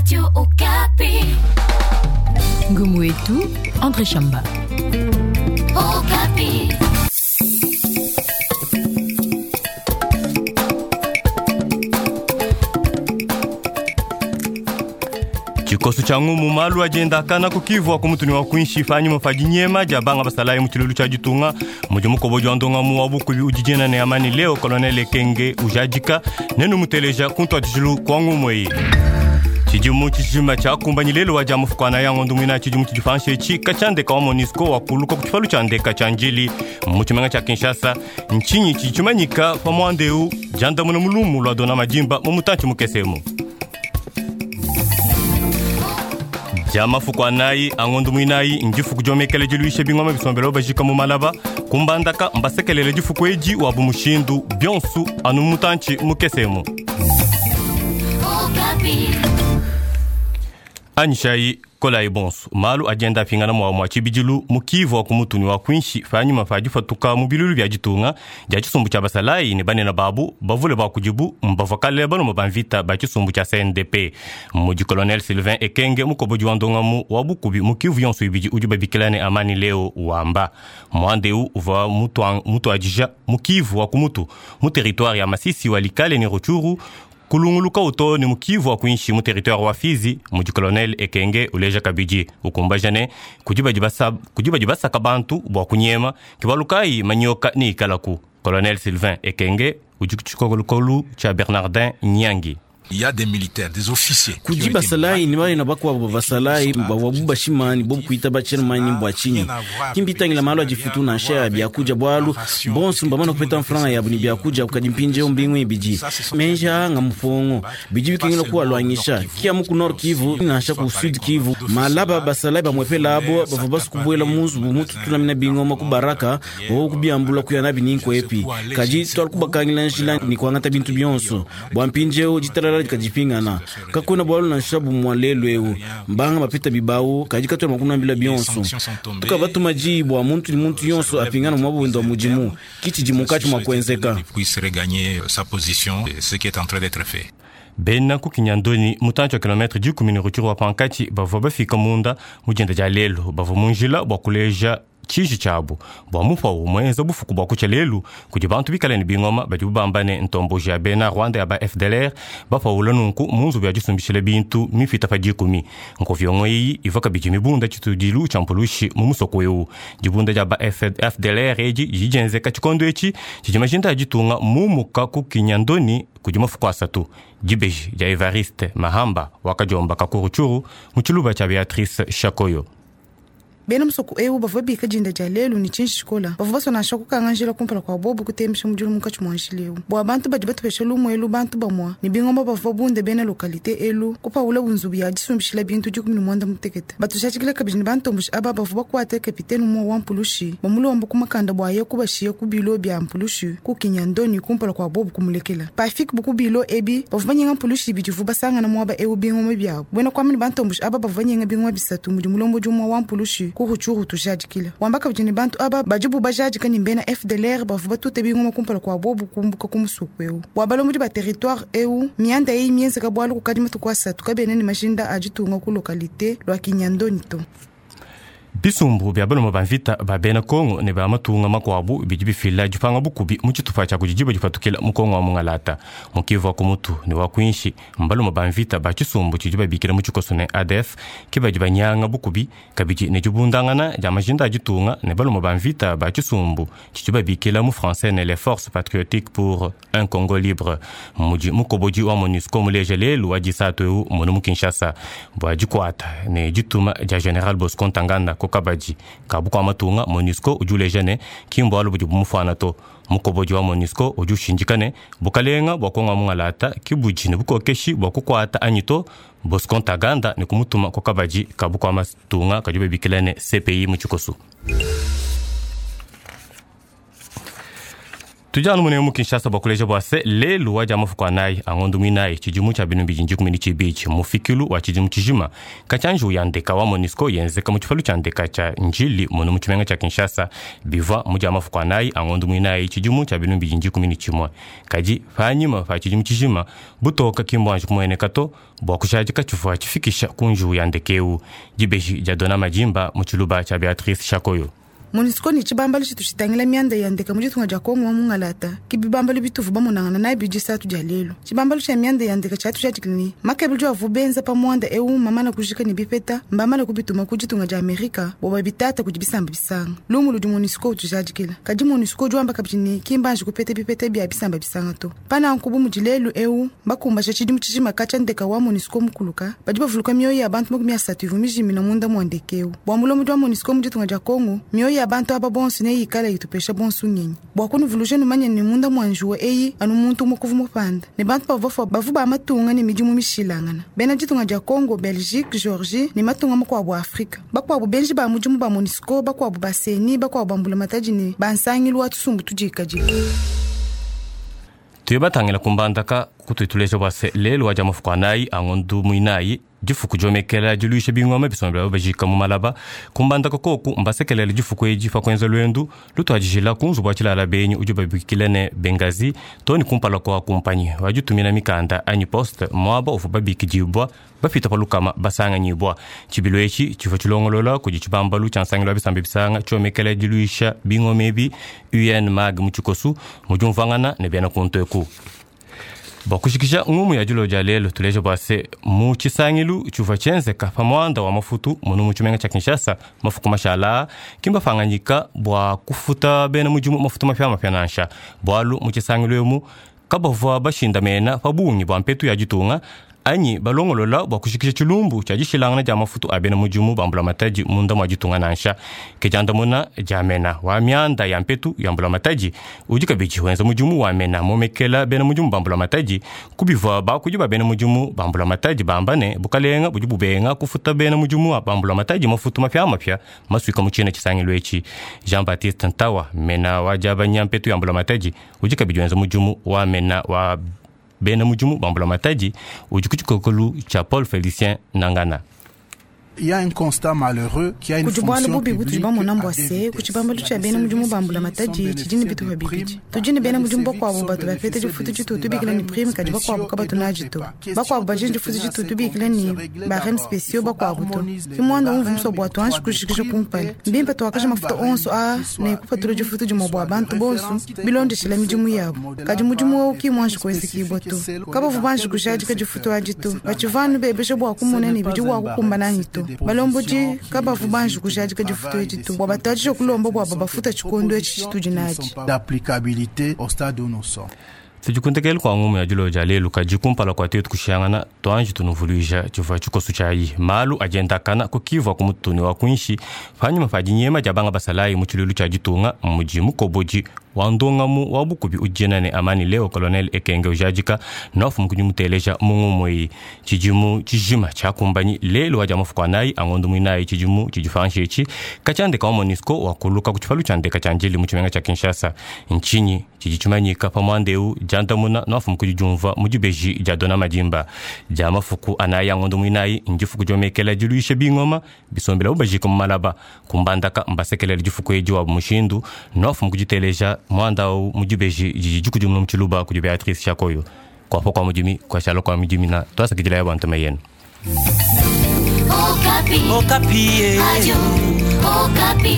Radio Okapi. Ngumu wetu André Shamba. Okapi. Tshikoso tshia ngumu malu ajenda akana kukivua ku mutuni wa kuinshi panyima pa dinyema dia banga basalayi mu tshilulu tshia ditunga mudi mukobo wa ndongamu wa bukubi udi ne amani leo colonel Ekenge ujadika nenu muteleja kuntuadijilu kua ngumu eyi. Tshidimu tshijima tshiakumbanyi lelo wa dia mufukwana ya ngondo mwina tshidimu tshidifansha etshi katshiandeka wa MONUSCO wakuluka ku tshipalu tshia ndeka tshia njili mu tshimenga tshia Kinshasa. Ntshinyi tshidi tshimanyika pa muanda eu diandamuna mulumu lua dona madimba mu mutantshi mukesemu. Dia mafuku anayi angondo mwinayi ndifuku diomekele diluisha bingoma bisombelo bajika mu malaba kumbandaka mbasekelele difuku edi wabu mushindu bionsu anu mutantshi mukesemu. Okapi. Anyishayi kolayi bonso malu adienda apingana mwa mwa tshibidilu mukivu wa kumutuni wa kuinshi panyima pa difatuka mu bilulu bia ditunga dia tshisumbu tshia basalayi ne banene babu bavule ba kudibu mbavua kale baluma ba mvita ba tshisumbu tshia CNDP. Mudi colonel Sylvain Ekenge mukobodi wa ndongamu wa bukubi mu Kivu yonso ibidi udi babikila ne amani leo wamba muanda eu uvua mutuadija mu Kivu wa kumutu mu territoire ya Masisi walikale ne Rutshuru kulunguluka uto ni mukivu wa kuinshi mu territoire wa Fizi. Mudi colonel Ekenge uleja kabidi ukumbaja ne kudi badi basaka bantu bua kunyema kibalukayi manyoka ni ikalaku. Colonel Sylvain Ekenge udi ku tshikolokolu tshia Bernardin Nyangi. Il y a des militaires, des officiers. Kudi basalayi ni bana bakuabo basalayi bavua bashimani bobu kuita bachairman bua tshinyi kimbitangila malu adifutu nansha ya biakudia bualu bonso mbamana kupeta mfranga yabu ni biakudia kadi mpindieu mbingu ibidi menja nga mufongo bidi bikengela kuwalwangisha kia mu ku Nord Kivu nansha ku Sud Kivu malaba basalayi bamwepela abo bavua basukubuela munzubu mututulamina bingoma ku baraka bavua kubiambula kuya nabi ninkwepi kadi twali kubakangila njila ni kuangata bintu bionso bua mpindieu ditalala kadipingana kakwena bualu nansha bumwa lelu eu mbanga bapeta bibawu kadi katwela makunambila bionso tukabatuma diyi bua muntu ni muntu yonso apingana mwa wa mudimu kitshidi munkatshi mua kuenzeka. Puisse regagner sa position, ce qui est en train d'être fait. Bena ku Kinyandoni mutantshi wa kilometre dikumi ne Rutshuru wa pankatshi bavua bafika munda mu dienda dia lelu bavua mu njila bua kuleja tshiji tshiabu bua mupawu muenza bufuku bua kutshia lelu kudi bantu bikale ne bingoma badi bamba ne ntomboji ya bena Rwanda ya ba FDLR bapawula nunku mu nzubu ya disumbishila bintu mipita pa dikumi. Nkoviongo eyi ivua kabidi mibunda tshitudilu tshia mpulushi mu musoko eu. Dibunda dia ba FDLR edi didi dienzeka tshikondo etshi tshidi majinda a ditunga mumuka ku Kinyandoni kudi mafuku asatu. Dibeji dia Evariste Mahamba wakadiomba ka ku Rutshuru mu tshiluba tshia Beatrice Shakoyo. Bena musoko eu bavua bika dinda dia lelu ni tshinji tshikola bavua basonasha kukanga njila kumpala kua bobu kutembesha mudilu munkatshi mua njila eu bua bantu badi batupesha lumu elu bantu bamua ni bingoma bavua bunde bena lokalite elu kupawula bunzubu ya disumbishila bintu 19 mutekete batushatshikila kabidi ni bantomboshi aba bavua bakuate kapitene umue wa mpulushi bamulomba kumakanda bua ye kubashiya ku bilo bia mpulushi ku Kinyandoni kumpala kua bobu kumulekela pafiki buku bilo ebi bavua banyenga mpulushi ibidi ivua basangana muaba eu bingoma biabu buena kuamba ni bantomboshi aba bavua banyenga bingoma bisatu mudi mulombodi umue wa mpulushi ku Rutshuru tujadikila wamba kabidi ni bantu aba badibu bajadika ni mbena FDLR bavua batute bingoma kumpala kua bobu kumbuka ku musuku eu bua balombodi ba territoire eu mianda eyi mienzeka bualu kukadi matuku asatu kabena ni majinda a ditunga ku lokalite lua Kinyandoni to. Bisumbu bia baluma ba mvita ba bena Kongo ne ba matunga makuabu bidi bifila dipanga bukubi mu tshitupa tshia kudi diba dipatukila mu Kongo wa mungalata mu Kivu wa kumutu ne wa kuinshi. Mbaluma ba mvita ba tshisumbu tshidi babikila mu tshikoso ne ADF ke badi banyanga bukubi kabidi ne dibundangana dia majinda a ditunga ne baluma ba mvita ba tshisumbu tshidi babikila mu français ne les forces patriotiques pour un Congo libre. Mudi mukobodi wa MONUSCO muleja lelu wa disatu eu munu mu Kinshasa bua dikuata ne dituma dia General Bosco Ntaganda kokabadi kabu kua matunga MONUSCO udi uleja ne kimbualu budi bumufuana to. Mukobodi wa MONUSCO udi ushindika ne bukalenga bua Kongo mungalata kibudi ne bukokeshi bua kukuata anyi to Bosco Ntaganda ne kumutuma kokabadi kabu kua matunga kadi babikila ne CPI mu tshikoso. Tudi anu munemu mu Kinshasa bua kuleja bua se lelu wa dia mafuku anayi a ngondo muinayi tshidimu tshia binu bidi ndikumi ne tshibidi mufikilu wa tshidimu tshijima katshia njiwu ya ndeka wa MONUSCO yenzeka mu tshipalu tshia ndeka tshia Ndjili munu mu tshimenga tshia Kinshasa bivua mu dia mafuku anayi a ngondo muinayi tshidimu tshia binu bidi ndikumi ne tshimue kadi panyima pa tshidimu tshijima butoka ki mbuanji kumueneka to bua kushadika tshivua tshifikisha ku njiwu ya ndeka eu dibeji dia Dona Madimba mu tshiluba tshia Beatrice Shakoyo. MONUSCO ni tshibambalu tshitu tshitangila mianda ya ndeka mu ditunga dia Kongo wa mungalata ke bibambalu bituvu bamonangana nayi bidisatu dia lelu. Tshibambalu tshia mianda ya ndeka tshiatu tshiadikila ne makebulu diavu benza pa muanda eu mamana kujika ne bipeta mbamana kubituma ku ditunga dia Amerika bua babitata kudi bisamba bisanga. Lumu ludi MONUSCO utujadikila kadi MONUSCO udi wamba kabidi ne kimbanji kupeta bipeta bia bisamba bisanga to. Pananku bu mudi lelu eu bakumbasha tshidimu tshijima katshia ndeka wa MONUSCO mukuluka badi bavuluka mioyo ya bantu 30 ivu mijimina munda mua ndeka eu. Bua mulombodi wa MONUSCO mu ditunga dia Kongo mioyo ya bantu aba bonso neyikala yitupesha bonso ngenyi bua kunuvuluja numanye ne munda mua njuwa eyi anu muntu umue kuvu mupanda ne bantu bavua bavu ba matunga ne midimu mishilangana bena ditunga dia Congo, Belgique, Georgie ne matunga makuabu a Afrika bakuabu benji ba mudimu ba MONUSCO bakuabu ba seni bakuabu ba mbulamatadi ne bansangilu wa tusumbu tudikadile. Tuye batangila kumbandaka kutuituleja bua se lelu wa dia mafuku anayi a ngondo muinayi difuku diomekela diluisha bingoma bisombela bajika mu malaba kumbandaka koku mbasekelela difuku edi pa kuenza luendu lutuadijila ku nzubu wa tshilala benyi udi babikila ne Bengazi to ne kumpala kua kumpanyi waditumina mikanda anyi poste muaba uvua babikidibua bapita pa lukama basanganyibua. Tshibilu etshi tshivua tshilongolola kudi tshibambalu tshia nsangilu wa bisamba bisanga tshiomekela diluisha bingoma ebi UNMAG mu tshikosu mudi umvuangana ne bena kuntu eku. Bua kushikisha ngumu ya dilo dia lelu tuleja bua se mu tshisangilu tshivua tshienzeka pa muanda wa mafutu munu mu tshimenga tshia Kinshasa mafuku mashala kimbafanganyika bua kufuta bena mudimu mafutu mapiamapia nansha bualu mu tshisangilu emu kabavua bashindamena pa bungi bua mpetu ya ditunga anyi balongolola bua kushikisha tshilumbu tshia dishilangana dia mafutu a bena mudimu ba mbulamatadi munda mua ditunga nansha. Ke diandamuna dia mena wa mianda ya mpetu ya mbulamatadi udi kabidi wenza mudimu wa mena momekela bena mudimu ba mbulamatadi kubivua bakudi ba bena mudimu ba mbulamatadi bamba ne bukalenga budi bubenga kufuta bena mudimu ba mbulamatadi mafutu mapiamapia masuika mu tshina tshisangilu etshi. Jean Baptiste Ntawa mena wa diabanya mpetu ya mbulamatadi udi kabidi wenza mudimu wa mena wa bena mudimu ba mbulamatadi udi ku tshikokolu tshia Paul Félicien Nangana. Il y a un constat malheureux qui a une kudi bualu fonction bubi butudi publique bamona à mbua deux se vitesses. ku tshibambalu tshia bena mudimu ba mbulamatadi tshidi ne bitupa bibidi tudi ne bena mudimu bakuabu batu bapeta difutu ditu tubikila ne prime kadi bakuabu kabatu nadi to bakuabu badi ne difutu ditu tubikila ne bareme spéciaux bakuabu to ke muanda umvu muso bua tuanji kushikisha kumpala mbimpe tuakaja mafuta onso aa ne kupatula difutu dimue bua bantu bonso bilondeshela midimu yabu kadi mudimu wewu ki muanji kuenzekibua to kabavu banji kujadika difutu adi to batshivanu bebesha bua kumona ne bidi bua kukumbana anyi to balombodi kabavu banji kujadika difutu edi to bua batuadije kulomba bua babafuta tshikondo etshi tshitudi nadi. D'applicabilité au stade où nous sommes. Tudikuntekele kua ngumu ya dilo dia lelu kadi kumpala kua tetu kushangana tuanji tunuvuluija tshivua tshikosu tshiayi malu adiendakana kukivua ku mutuni wa kuinshi panyima pa dinyema dia banga basalayi mu tshilulu tshia ditunga mudi mukobodi wa ndongamu wa bukubi udiena ne amani leo colonel Ekenge ujadika nofu mukudi muteleja mu ngumu eyi tshidimu tshijima tshiakumbanyi lelu wa dia mafuku anayi a ngondo muinayi tshidimu tshidifanshi etshi katshia ndeka wa MONUSCO wakuluka ku tshipalu tshia ndeka tshia Ndjili mu tshimenga tshia Kinshasa ntshinyi tshidi tshimanyika pa muanda eu diandamuna nofu mukudi diumvua mu dibeji dia Dona Madimba dia mafuku anayi a ngondo muinayi ndifuku diomekela diluisha bingoma bisombela bubajika mu malaba kumbandaka mbasekelela difuku edi wa mushindu nofu mukuditeleja muanda au mu dibeji didi dikudimuna mu tshiluba kudi Beatrice Shakoyo kuapa kua mudimi kuashala kua midimi na tuasakidila ya bantu mayenu. Okapi. Okapi. Radio Okapi.